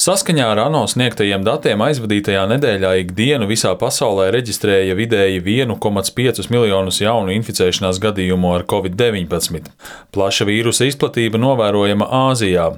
Saskaņā ar ANO sniegtajiem datiem aizvadītajā nedēļā ikdienu visā pasaulē reģistrēja vidēji 1,5 miljonus jaunu inficēšanās gadījumu ar Covid-19. Plaša vīrusa izplatība novērojama Āzijā.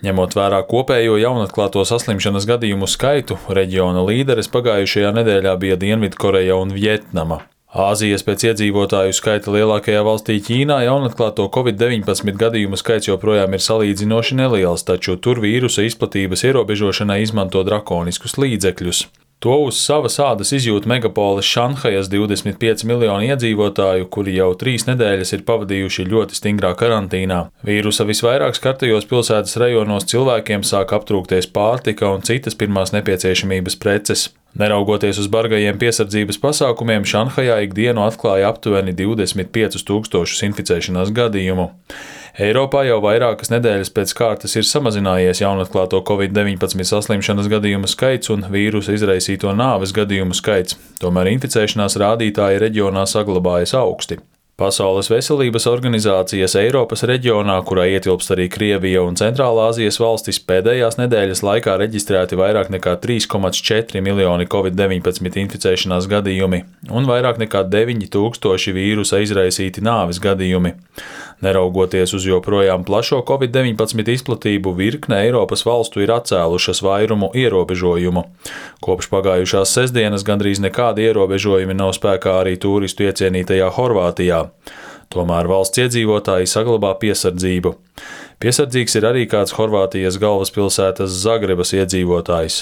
Ņemot vērā kopējo jaunatklāto saslimšanas gadījumu skaitu, reģiona līderes pagājušajā nedēļā bija Dienvidkoreja un Vjetnama. Āzijas pēc iedzīvotāju skaita lielākajā valstī Ķīnā jaunatklāto Covid-19 gadījumu skaits joprojām ir salīdzinoši neliels, taču tur vīrusa izplatības ierobežošanai izmanto drakoniskus līdzekļus. To uz savas ādas izjūt megapoles Šanhajas 25 miljoni iedzīvotāju, kuri jau 3 nedēļas ir pavadījuši ļoti stingrā karantīnā. Vīrusa visvairāk skartajos pilsētas rajonos cilvēkiem sāk aptrūkties pārtika un citas pirmās nepieciešamības preces. Neraugoties uz bargajiem piesardzības pasākumiem, Šanhajā ikdienu atklāja aptuveni 25 000 inficēšanās gadījumu. Eiropā jau vairākas nedēļas pēc kārtas ir samazinājies jaunatklāto Covid-19 saslimšanas gadījumu skaits un vīrusa izraisīto nāves gadījumu skaits, tomēr inficēšanās rādītāji reģionā saglabājas augsti. Pasaules veselības organizācijas Eiropas reģionā, kurā ietilpst arī Krievija un Centrālāzijas valstis, pēdējās nedēļas laikā reģistrēti vairāk nekā 3,4 miljoni Covid-19 inficēšanās gadījumi un vairāk nekā 9000 vīrusa izraisīti nāves gadījumi. Neraugoties uz joprojām plašo Covid-19 izplatību, virkne Eiropas valstu ir atcēlušas vairumu ierobežojumu. Kopš pagājušās sestdienas gandrīz nekādi ierobežojumi nav spēkā arī turistu iecienītajā Horvātijā. Tomēr valsts iedzīvotāji saglabā piesardzību. Piesardzīgs ir arī kāds Horvātijas galvaspilsētas Zagrebas iedzīvotājs.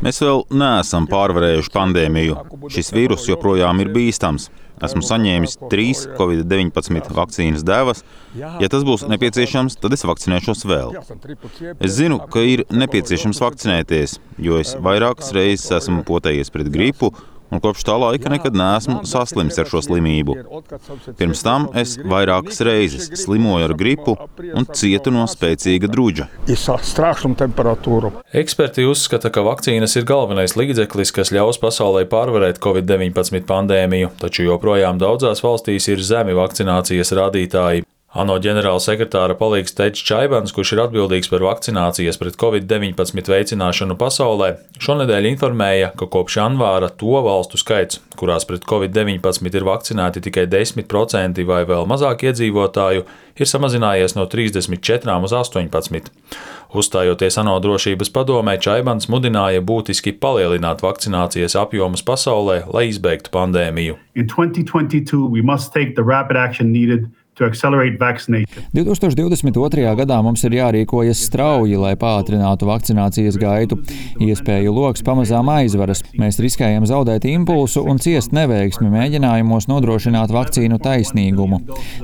Mēs vēl neesam pārvarējuši pandēmiju. Šis vīrus joprojām ir bīstams. Esmu saņēmis 3 Covid-19 vakcīnas devas. Ja tas būs nepieciešams, tad es vakcinēšos vēl. Es zinu, ka ir nepieciešams vakcinēties, jo es vairākas reizes esmu potējies pret gripu, un kopš tā laika nekad neesmu saslims ar šo slimību. Pirms tam es vairākas reizes slimoju ar gripu un cietu no spēcīga druģa. Eksperti uzskata, ka vakcīnas ir galvenais līdzeklis, kas ļaus pasaulē pārvarēt Covid-19 pandēmiju, taču joprojām daudzās valstīs ir zemi vakcinācijas rādītāji. ANO ģenerālsekretāra palīgs Tedžs Čaibans, kurš ir atbildīgs par vakcinācijas pret Covid-19 veicināšanu pasaulē, šonedēļ informēja, ka kopš janvāra to valstu skaits, kurās pret Covid-19 ir vakcinēti tikai 10% vai vēl mazāk iedzīvotāju, ir samazinājies no 34 uz 18. Uzstājoties ANO drošības padomē, Čaibans mudināja būtiski palielināt vakcinācijas apjomus pasaulē, lai izbeigtu pandēmiju. 2022. gadā mums ir jārīkojas strauji, lai pātrinātu vakcinācijas gaitu. Iespēju loks pamazām aizveras. Mēs riskējam zaudēt impulsu un ciest neveiksmi mēģinājumos nodrošināt vakcīnu taisnīgumu.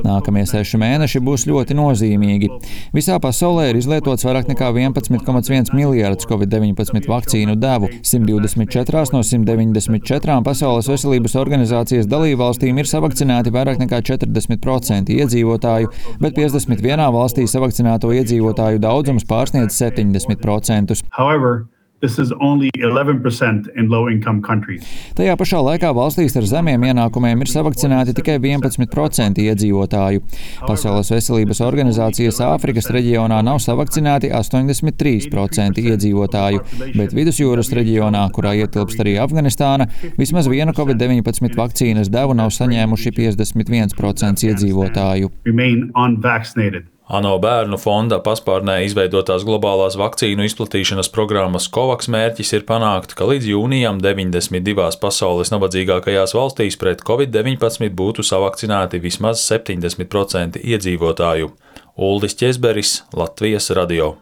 Nākamie 6 mēneši būs ļoti nozīmīgi. Visā pasaulē ir izlietots vairāk nekā 11,1 miljardus Covid-19 vakcīnu devu. 124 no 194 Pasaules veselības organizācijas dalībvalstīm ir savakcinēti vairāk nekā 40% iedzīvotāju, bet 51 valstī savakcinēto iedzīvotāju daudzums pārsniedz 70%. Tajā pašā laikā valstīs ar zemiem ienākumiem ir savakcinēti tikai 11% iedzīvotāju. Pasaules veselības organizācijas Āfrikas reģionā nav savakcinēti 83% iedzīvotāju, bet Vidusjūras reģionā, kurā ietilpst arī Afganistāna, vismaz vienu Covid-19 vakcīnas devu nav saņēmuši 51% iedzīvotāju. ANO bērnu fonda paspārnē izveidotās globālās vakcīnu izplatīšanas programmas COVAX mērķis ir panākt, ka līdz jūnijam 92 pasaules nabadzīgākajās valstīs pret Covid-19 būtu savakcinēti vismaz 70% iedzīvotāju. Uldis Ķezberis, Latvijas radio.